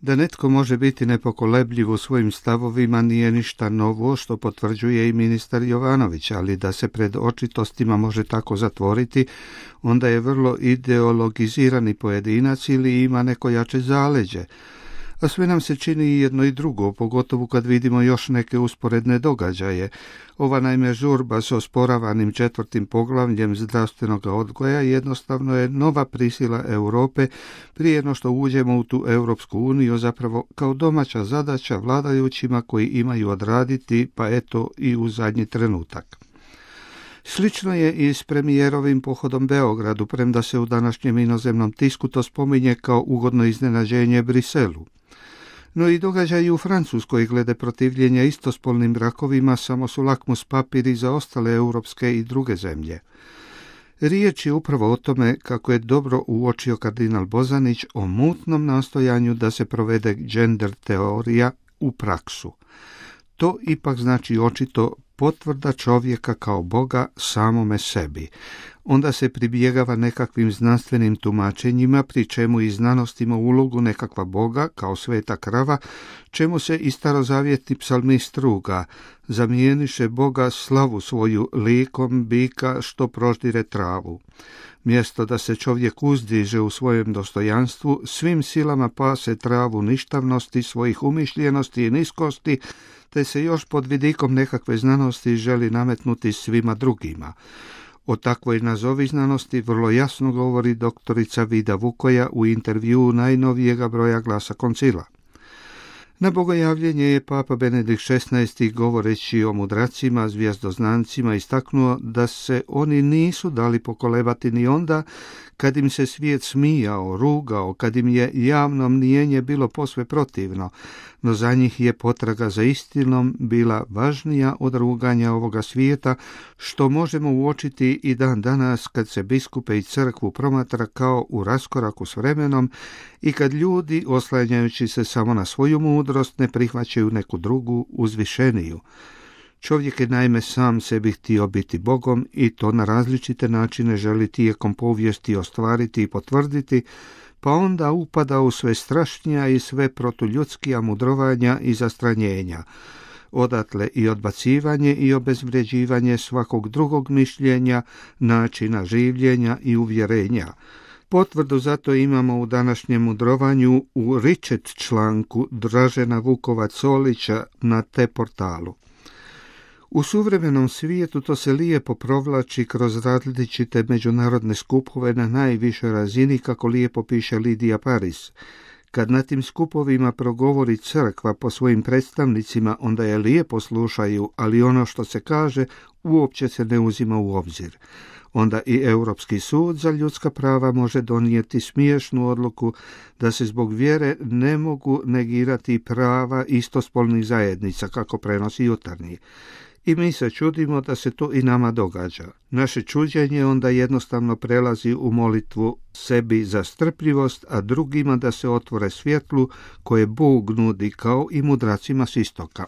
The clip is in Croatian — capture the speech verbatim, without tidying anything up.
Da netko može biti nepokolebljiv u svojim stavovima nije ništa novo, što potvrđuje i ministar Jovanović, ali da se pred očitostima može tako zatvoriti, onda je vrlo ideologizirani pojedinac ili ima neko jače zaleđe. A sve nam se čini i jedno i drugo, pogotovo kad vidimo još neke usporedne događaje. Ova naime žurba s osporavanim četvrtim poglavljem zdravstvenog odgoja jednostavno je nova prisila Europe prije no što uđemo u tu Europsku uniju, zapravo kao domaća zadaća vladajućima koji imaju odraditi, pa eto i u zadnji trenutak. Slično je i s premijerovim pohodom Beogradu, premda se u današnjem inozemnom tisku to spominje kao ugodno iznenađenje Briselu. No i događaji u Francuskoj glede protivljenja istospolnim brakovima samo su lakmus papiri za ostale europske i druge zemlje. Riječ je upravo o tome, kako je dobro uočio kardinal Bozanić, o mutnom nastojanju da se provede gender teorija u praksu. To ipak znači očito potvrda čovjeka kao Boga samome sebi. Onda se pribjegava nekakvim znanstvenim tumačenjima, pri čemu i znanost ima ulogu nekakva Boga, kao sveta krava, čemu se i starozavjetni psalmist ruga: zamijeniše Boga slavu svoju likom bika što proždire travu. Mjesto da se čovjek uzdiže u svojem dostojanstvu, svim silama pase travu ništavnosti, svojih umišljenosti i niskosti, te se još pod vidikom nekakve znanosti želi nametnuti svima drugima. O takvoj nazovi znanosti vrlo jasno govori doktorica Vida Vukoja u intervjuu najnovijega broja Glasa koncila. Na bogojavljenje je papa Benedikt šesnaesti govoreći o mudracima, zvijezdoznancima, istaknuo da se oni nisu dali pokolebati ni onda kad im se svijet smijao, rugao, kad im je javno mnijenje bilo posve protivno, no za njih je potraga za istinom bila važnija od ruganja ovoga svijeta, što možemo uočiti i dan danas kad se biskupe i crkvu promatra kao u raskoraku s vremenom i kad ljudi, oslanjajući se samo na svoju mudrost, ne prihvaćaju neku drugu, uzvišeniju. Čovjek je naime sam sebi htio biti Bogom i to na različite načine želi tijekom povijesti ostvariti i potvrditi, pa onda upada u sve strašnija i sve protuljudskija mudrovanja i zastranjenja. Odatle i odbacivanje i obezvređivanje svakog drugog mišljenja, načina življenja i uvjerenja. Potvrdu zato imamo u današnjem mudrovanju u Ričet članku Dražena Vukovac-Solića na te portalu. U suvremenom svijetu to se lijepo provlači kroz različite međunarodne skupove na najvišoj razini, kako lijepo piše Lidija Paris. Kad na tim skupovima progovori crkva po svojim predstavnicima, onda je lijepo slušaju, ali ono što se kaže uopće se ne uzima u obzir. Onda i Europski sud za ljudska prava može donijeti smiješnu odluku da se zbog vjere ne mogu negirati prava istospolnih zajednica, kako prenosi Jutarnji. I mi se čudimo da se to i nama događa. Naše čuđenje onda jednostavno prelazi u molitvu sebi za strpljivost, a drugima da se otvore svjetlu koje Bog nudi, kao i mudracima s istoka.